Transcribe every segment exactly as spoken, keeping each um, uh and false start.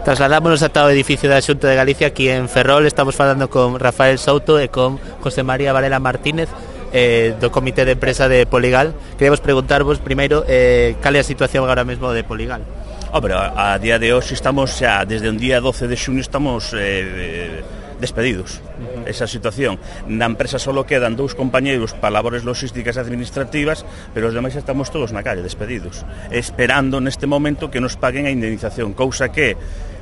Trasladámonos ata o edificio da Xunta de Galicia aquí en Ferrol. Estamos falando con Rafael Souto e con José María Varela Martínez eh, do Comité de Empresa de Poligal. Queremos preguntarvos primeiro eh, cal é a situación agora mesmo de Poligal. Hombre, a, a día de hoxe estamos xa, desde un día doce de xuño estamos eh, despedidos. Uh-huh. Esa situación. Na empresa solo quedan dous compañeiros para labores logísticas e administrativas, pero os demais estamos todos na calle, despedidos, esperando neste momento que nos paguen a indemnización, cousa que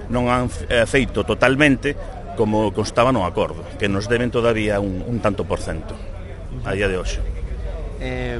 non han feito totalmente como constaba no acordo, que nos deben todavía un, un tanto por cento a día de hoxe. Eh,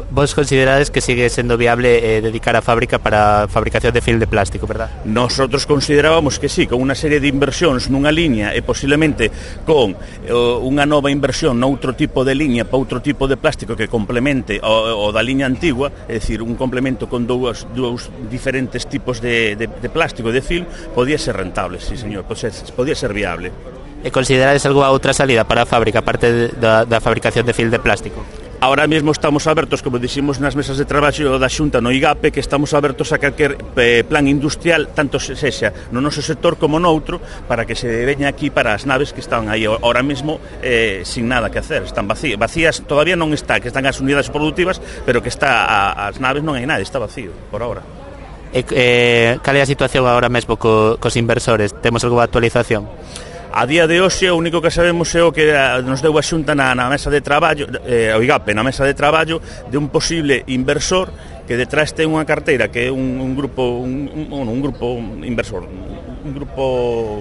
vos considerades que sigue sendo viable eh, dedicar a fábrica para a fabricación de film de plástico, verdad? Nosotros considerábamos que sí, con unha serie de inversións nunha liña e posiblemente con eh, unha nova inversión noutro tipo de liña para outro tipo de plástico que complemente o, o da liña antigua, é dicir, un complemento con dous, dous diferentes tipos de, de, de plástico de film, podía ser rentable, sí señor, podía ser viable. E considerades algunha outra salida para a fábrica, aparte da, da fabricación de film de plástico? Ahora mesmo estamos abertos, como dixemos nas mesas de traballo da Xunta no I G A P E, que estamos abertos a calquer eh, plan industrial, tanto sexa no noso sector como noutro, para que se veña aquí para as naves que están aí ahora mesmo eh, sin nada que hacer, están vacías, vacías todavía non está, que están as unidades productivas, pero que está a, as naves non hai nada, está vacío, por ahora. E, eh, cal é a situación agora mesmo co, cos inversores? Temos algunha actualización? A día de hoxe o único que sabemos é o que nos deu a Xunta na, na mesa de traballo, eh, o I G A P E, na mesa de traballo de un posible inversor que detrás ten unha carteira que é un, un grupo un, un, un grupo inversor, un grupo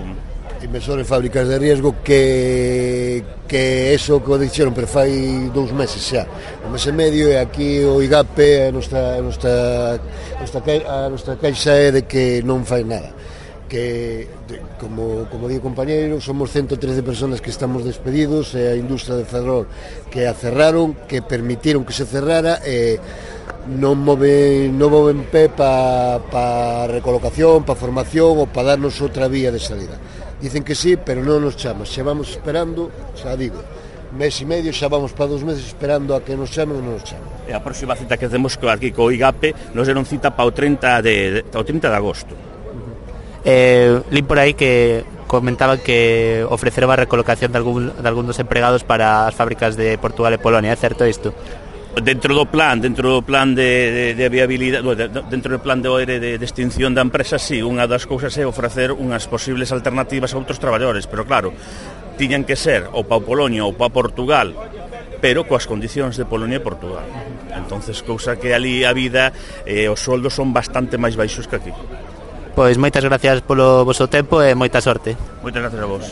inversor en fábricas de riesgo que que eso que o dixeron, pero fai dous meses xa, un mes e medio, e aquí o I G A P E a nosa, a nosa, a nosa, a nosa caixa é de que non fai nada, que, como, como digo compañeiro, somos ciento trece personas que estamos despedidos, e a industria de Ferrol que a cerraron, que permitiron que se cerrara, e non moven, non moven pé para pa recolocación, para formación ou para darnos outra vía de salida. Dicen que sí, pero non nos chaman, xa vamos esperando, xa digo, mes e medio, xa vamos para dos meses esperando a que nos chamen e non nos chamen. E a próxima cita que temos aquí co I G A P E nos deron cita para o trinta de, o trinta de agosto. Eh, Lín por aí que comentaban que ofreceron a recolocación de algún, de algún dos empregados para as fábricas de Portugal e Polonia, é certo isto? Dentro do plan, dentro do plan de, de, de viabilidade, dentro do plan de O E R de, de extinción da empresa, sí, unha das cousas é ofrecer unhas posibles alternativas a outros traballadores, pero claro, tiñan que ser ou para Polonia ou para Portugal, pero coas condicións de Polonia e Portugal. Entonces, cousa que ali a vida e eh, os soldos son bastante máis baixos que aquí. Pois moitas gracias polo voso tempo e moita sorte. Moitas gracias a vos.